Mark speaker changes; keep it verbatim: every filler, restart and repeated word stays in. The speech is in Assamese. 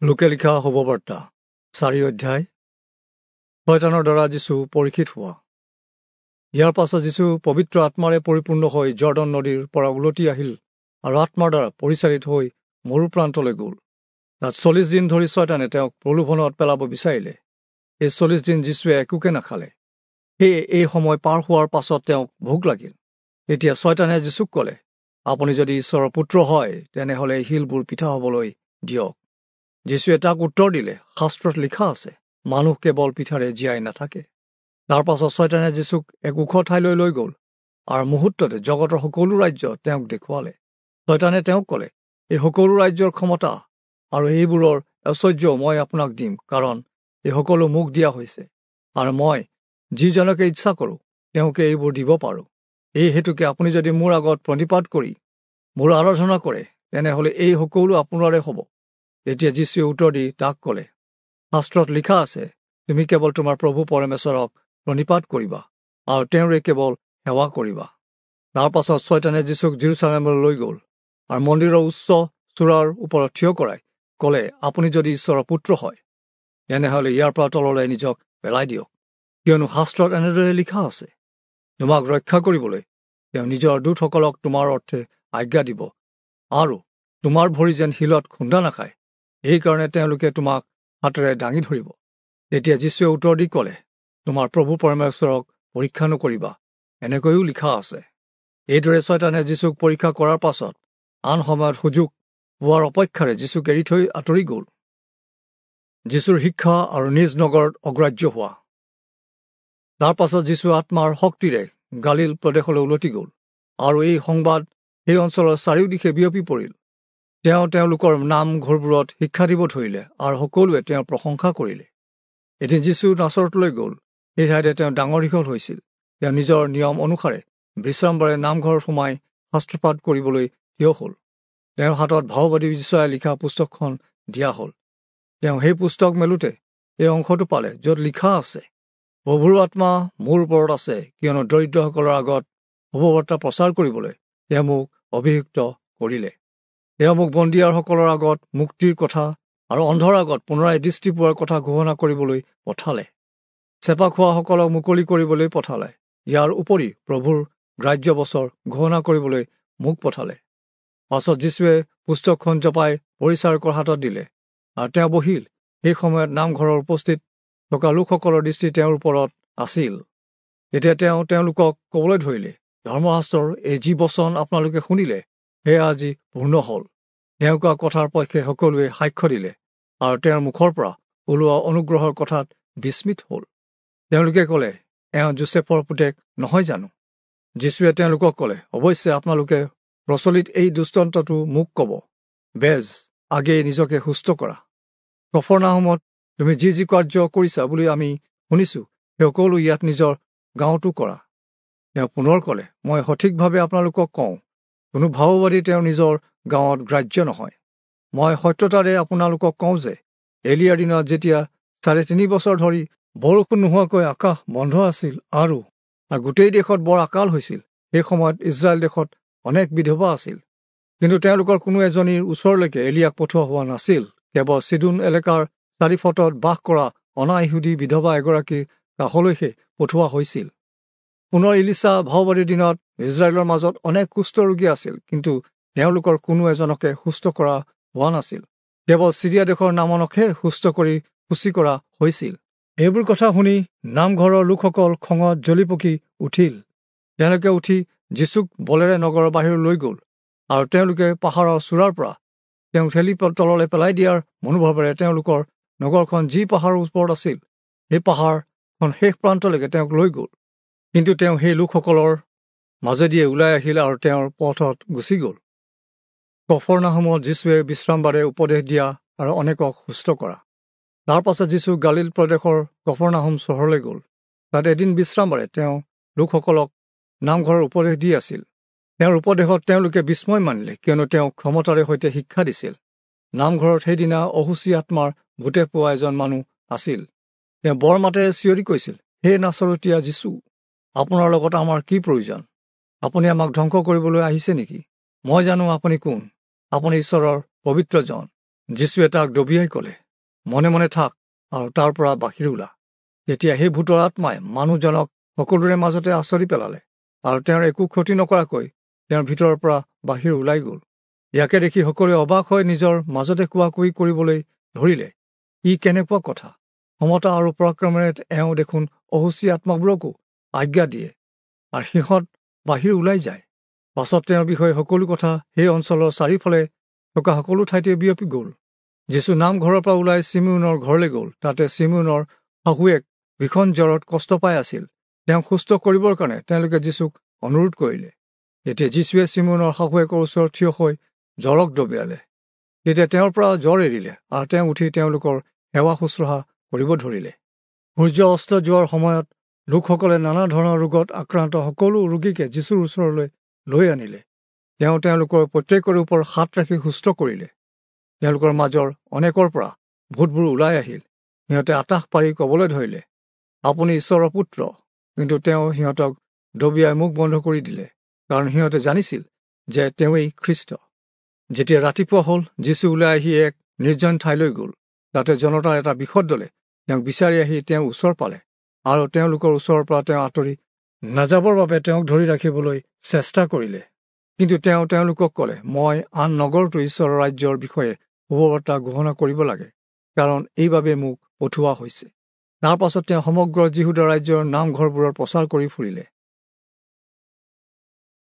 Speaker 1: লোকে লিখা শুভবাৰ্তা চাৰি অধ্যায় শয়তানৰ দ্বাৰা যীচু পৰীক্ষিত হোৱা। ইয়াৰ পাছত যীচু পবিত্ৰ আত্মাৰে পৰিপূৰ্ণ হৈ জৰ্দন নদীৰ পৰা উলটি আহিল আৰু আত্মাৰ দ্বাৰা পৰিচালিত হৈ মৰুপ্ৰান্তলৈ গ'ল। তাত চল্লিছ দিন ধৰি ছয়তানে তেওঁক প্ৰলোভনত পেলাব বিচাৰিলে। এই চল্লিছ দিন যীচুৱে একোকে নাখালে। সেয়ে এই সময় পাৰ হোৱাৰ পাছত তেওঁক ভোক লাগিল। তেতিয়া ছয়তানে যীচুক ক'লে, আপুনি যদি ঈশ্বৰৰ পুত্ৰ হয় তেনেহ'লে এই শিলবোৰ পিঠা হ'বলৈ দিয়ক। যীচুৱে তাক উত্তৰ দিলে, শাস্ত্ৰত লিখা আছে, মানুহ কেৱল পিঠাৰে জীয়াই নাথাকে। তাৰ পাছত ছয়তানে যীচুক এক ওখ ঠাইলৈ লৈ গ'ল আৰু মুহূৰ্ততে জগতৰ সকলো ৰাজ্য তেওঁক দেখুৱালে। ছয়তানে তেওঁক ক'লে, এই সকলো ৰাজ্যৰ ক্ষমতা আৰু এইবোৰৰ ঐশ্বৰ্য মই আপোনাক দিম, কাৰণ এই সকলো মোক দিয়া হৈছে আৰু মই যিজনকে ইচ্ছা কৰোঁ তেওঁকে এইবোৰ দিব পাৰোঁ। এই হেতুকে আপুনি যদি মোৰ আগত প্ৰণিপাত কৰি মোৰ আৰাধনা কৰে তেনেহ'লে এই সকলো আপোনাৰে হ'ব। তেতিয়া যীচুৱে উত্তৰ দি তাক ক'লে, শাস্ত্ৰত লিখা আছে, তুমি কেৱল তোমাৰ প্ৰভু পৰমেশ্বৰক প্ৰণিপাত কৰিবা আৰু তেওঁৰে কেৱল সেৱা কৰিবা। তাৰ পাছত ছয়তানে যীচুক যিৰূচালেমলৈ লৈ গ'ল আৰু মন্দিৰৰ উচ্চ চূড়াৰ ওপৰত থিয় কৰাই ক'লে, আপুনি যদি ঈশ্বৰৰ পুত্ৰ হয় তেনেহ'লে ইয়াৰ পৰা তললৈ নিজক পেলাই দিয়ক, কিয়নো শাস্ত্ৰত এনেদৰে লিখা আছে, তোমাক ৰক্ষা কৰিবলৈ তেওঁ নিজৰ দূতসকলক তোমাৰ অৰ্থে আজ্ঞা দিব আৰু তোমাৰ ভৰি যেন শিলত খুন্দা নাখায়, এইকাৰণে তেওঁলোকে তোমাক হাতেৰে দাঙি ধৰিব। তেতিয়া যীচুৱে উত্তৰ দি ক'লে, তোমাৰ প্ৰভু পৰমেশ্বৰক পৰীক্ষা নকৰিবা, এনেকৈও লিখা আছে। এইদৰে ছয়তানে যীচুক পৰীক্ষা কৰাৰ পাছত আন সময়ত সুযোগ পোৱাৰ অপেক্ষাৰে যীচুক এৰি থৈ আঁতৰি গ'ল। যীচুৰ শিক্ষা আৰু নিজ নগৰত অগ্ৰাহ্য হোৱা। তাৰ পাছত যীচু আত্মাৰ শক্তিৰে গালিল প্ৰদেশলৈ উলটি গ'ল আৰু এই সংবাদ সেই অঞ্চলৰ চাৰিওদিশে বিয়পি পৰিল। তেওঁ তেওঁলোকৰ নামঘৰবোৰত শিক্ষা দিব ধৰিলে আৰু সকলোৱে তেওঁৰ প্ৰশংসা কৰিলে। এদিন যীচু নাচৰতলৈ গ'ল। সেই ঠাইতে তেওঁ ডাঙৰ দীঘল হৈছিল। তেওঁ নিজৰ নিয়ম অনুসাৰে বিশ্ৰামবাৰে নামঘৰত সোমাই শাস্ত্ৰপাঠ কৰিবলৈ থিয় হ'ল। তেওঁৰ হাতত ভাওবাদী যিচয়াই লিখা পুস্তকখন দিয়া হ'ল। তেওঁ সেই পুস্তক মেলোতে এই অংশটো পালে য'ত লিখা আছে, প্ৰভুৰ আত্মা মোৰ ওপৰত আছে, কিয়নো দৰিদ্ৰসকলৰ আগত শুভবাৰ্তা প্ৰচাৰ কৰিবলৈ তেওঁ মোক অভিষিক্ত কৰিলে। তেওঁ মোক বন্দীয়াৰসকলৰ আগত মুক্তিৰ কথা আৰু অন্ধৰ আগত পুনৰাই দৃষ্টি পোৱাৰ কথা ঘোষণা কৰিবলৈ পঠালে, চেপা খোৱাসকলক মুকলি কৰিবলৈ পঠালে। ইয়াৰ উপৰি প্ৰভুৰ গ্ৰাহ্য বছৰ ঘোষণা কৰিবলৈ মোক পঠালে। পাছত যীচুৱে পুস্তকখন জপাই পৰিচাৰকৰ হাতত দিলে আৰু তেওঁ বহিল। সেই সময়ত নামঘৰৰ উপস্থিত থকা লোকসকলৰ দৃষ্টি তেওঁৰ ওপৰত আছিল। তেতিয়া তেওঁ তেওঁলোকক ক'বলৈ ধৰিলে, ধৰ্মশাস্ত্ৰৰ এই যি বচন আপোনালোকে শুনিলে সেয়া আজি পূৰ্ণ হ'ল। তেওঁ কোৱা কথাৰ পক্ষে সকলোৱে সাক্ষ্য দিলে আৰু তেওঁৰ মুখৰ পৰা ওলোৱা অনুগ্ৰহৰ কথাত বিস্মিত হ'ল। তেওঁলোকে ক'লে, এওঁ যোচেফৰ পুতেক নহয় জানো? যীচুৱে তেওঁলোকক ক'লে, অৱশ্যে আপোনালোকে প্ৰচলিত এই দৃষ্টান্তটো মোক ক'ব, বেজ, আগেয়ে নিজকে সুস্থ কৰা। কফৰনাহূমত তুমি যি যি কাৰ্য কৰিছা বুলি আমি শুনিছোঁ, সেই সকলো ইয়াত নিজৰ গাঁৱতো কৰা। তেওঁ পুনৰ ক'লে, মই সঠিকভাৱে আপোনালোকক কওঁ, কোনো ভাওবাদী তেওঁৰ নিজৰ গাঁৱত গ্ৰাহ্য নহয়। মই সত্যতাৰে আপোনালোকক কওঁ যে এলিয়াৰ দিনত যেতিয়া চাৰে তিনি বছৰ ধৰি বৰষুণ নোহোৱাকৈ আকাশ বন্ধ আছিল আৰু গোটেই দেশত বৰ আকাল হৈছিল, সেই সময়ত ইজৰাইল দেশত অনেক বিধৱা আছিল, কিন্তু তেওঁলোকৰ কোনো এজনীৰ ওচৰলৈকে এলিয়াক পঠোৱা হোৱা নাছিল। কেৱল চিদোন এলেকাৰ চাৰিফটত বাস কৰা অনা ইহুদী বিধৱা এগৰাকীৰ কাষলৈহে পঠোৱা হৈছিল। পুনৰ ইলিচা ভাওবাদীৰ দিনত ইজৰাইলৰ মাজত অনেক কুষ্ঠ ৰোগী আছিল, কিন্তু তেওঁলোকৰ কোনো এজনকে সুস্থ কৰা হোৱা নাছিল। কেৱল চিৰিয়া দেশৰ নামনকহে সুস্থ কৰি সূচী কৰা হৈছিল। এইবোৰ কথা শুনি নামঘৰৰ লোকসকল খঙত জ্বলি পকি উঠিল। তেওঁলোকে উঠি যীচুক বলেৰে নগৰৰ বাহিৰলৈ লৈ গ'ল আৰু তেওঁলোকে পাহাৰৰ চূড়াৰ পৰা তেওঁক ঠেলি তললৈ পেলাই দিয়াৰ মনোভাৱেৰে তেওঁলোকৰ নগৰখন যি পাহাৰৰ ওপৰত আছিল সেই পাহাৰখন শেষ প্ৰান্তলৈকে তেওঁক লৈ গ'ল। কিন্তু তেওঁ সেই লোকসকলৰ মাজেদিয়ে ওলাই আহিল আৰু তেওঁৰ পথত গুচি গ'ল। কফৰনাহূমত যীচুৱে বিশ্ৰামবাৰে উপদেশ দিয়া আৰু অনেকক সুস্থ কৰা। তাৰ পাছত যীচু গালিল প্ৰদেশৰ কফৰনাহূম চহৰলৈ গ'ল। তাত এদিন বিশ্ৰামবাৰে তেওঁ লোকসকলক নামঘৰৰ উপদেশ দি আছিল। তেওঁৰ উপদেশত তেওঁলোকে বিস্ময় মানিলে, কিয়নো তেওঁ ক্ষমতাৰে সৈতে শিক্ষা দিছিল। নামঘৰত সেইদিনা অসুচী আত্মাৰ ভূতে পোৱা এজন মানুহ আছিল। তেওঁ বৰ মাতেৰে চিঞৰি কৈছিল, হে নাচৰতীয়া যীচু, আপোনাৰ লগত আমাৰ কি প্ৰয়োজন? আপুনি আমাক ধ্বংস কৰিবলৈ আহিছে নেকি? মই জানো আপুনি কোন, আপুনি ঈশ্বৰৰ পবিত্ৰজন। যীশুৱে তাক দবিয়াই ক'লে, মনে মনে থাক আৰু তাৰ পৰা বাহিৰ ওলা। তেতিয়া সেই ভূতৰ আত্মাই মানুহজনক সকলোৰে মাজতে আঁচৰি পেলালে আৰু তেওঁৰ একো ক্ষতি নকৰাকৈ তেওঁৰ ভিতৰৰ পৰা বাহিৰ ওলাই গ'ল। ইয়াকে দেখি সকলোৱে অবাক হৈ নিজৰ মাজতে কোৱা কুই কৰিবলৈ ধৰিলে, ই কেনেকুৱা কথা! ক্ষমতা আৰু পৰাক্ৰমেৰে এওঁ দেখোন অশুচি আত্মাবোৰকো আজ্ঞা দিয়ে আৰু সিহঁত বাহিৰ ওলাই যায়। পাছত তেওঁৰ বিষয়ে সকলো কথা সেই অঞ্চলৰ চাৰিওফালে থকা সকলো ঠাইতে বিয়পি গ'ল। যীশু নামঘৰৰ পৰা ওলাই চিমোনৰ ঘৰলৈ গ'ল। তাতে চিমোনৰ শাহুৱেক ভীষণ জ্বৰত কষ্ট পাই আছিল। তেওঁক সুস্থ কৰিবৰ কাৰণে তেওঁলোকে যীশুক অনুৰোধ কৰিলে। তেতিয়া যীশুৱে চিমোনৰ শাহুৱেকৰ ওচৰত থিয় হৈ জ্বৰক দবিয়ালে। তেতিয়া তেওঁৰ পৰা জ্বৰ এৰিলে আৰু তেওঁ উঠি তেওঁলোকৰ সেৱা শুশ্ৰূষা কৰিব ধৰিলে। সূৰ্য অস্ত যোৱাৰ সময়ত লোকসকলে নানা ধৰণৰ ৰোগত আক্ৰান্ত সকলো ৰোগীকে যীশুৰ ওচৰলৈ লৈ আনিলে। তেওঁ তেওঁলোকৰ প্ৰত্যেকৰে ওপৰত হাত ৰাখি সুস্থ কৰিলে। তেওঁলোকৰ মাজৰ অনেকৰ পৰা ভূতবোৰ ওলাই আহিল। সিহঁতে আটাহ পাৰি ক'বলৈ ধৰিলে, আপুনি ঈশ্বৰৰ পুত্ৰ। কিন্তু তেওঁ সিহঁতক দবিয়াই মুখ বন্ধ কৰি দিলে, কাৰণ সিহঁতে জানিছিল যে তেওঁৱেই খ্ৰীষ্ট। যেতিয়া ৰাতিপুৱা হ'ল, যীশু ওলাই আহি এক নিৰ্জন ঠাইলৈ গ'ল। তাতে জনতাৰ এটা বৃহৎ দলে তেওঁক বিচাৰি আহি তেওঁ ওচৰ পালে আৰু তেওঁলোকৰ ওচৰৰ পৰা তেওঁ আঁতৰি নাযাবৰ বাবে তেওঁক ধৰি ৰাখিবলৈ চেষ্টা কৰিলে। কিন্তু তেওঁ তেওঁলোকক ক'লে, মই আন নগৰতো ঈশ্বৰৰ ৰাজ্যৰ বিষয়ে শুভবাৰ্তা ঘোষণা কৰিব লাগে, কাৰণ এইবাবে মোক পঠোৱা হৈছে। তাৰ পাছত তেওঁ সমগ্ৰ যিহূদা ৰাজ্যৰ নামঘৰবোৰৰ প্ৰচাৰ কৰি ফুৰিলে।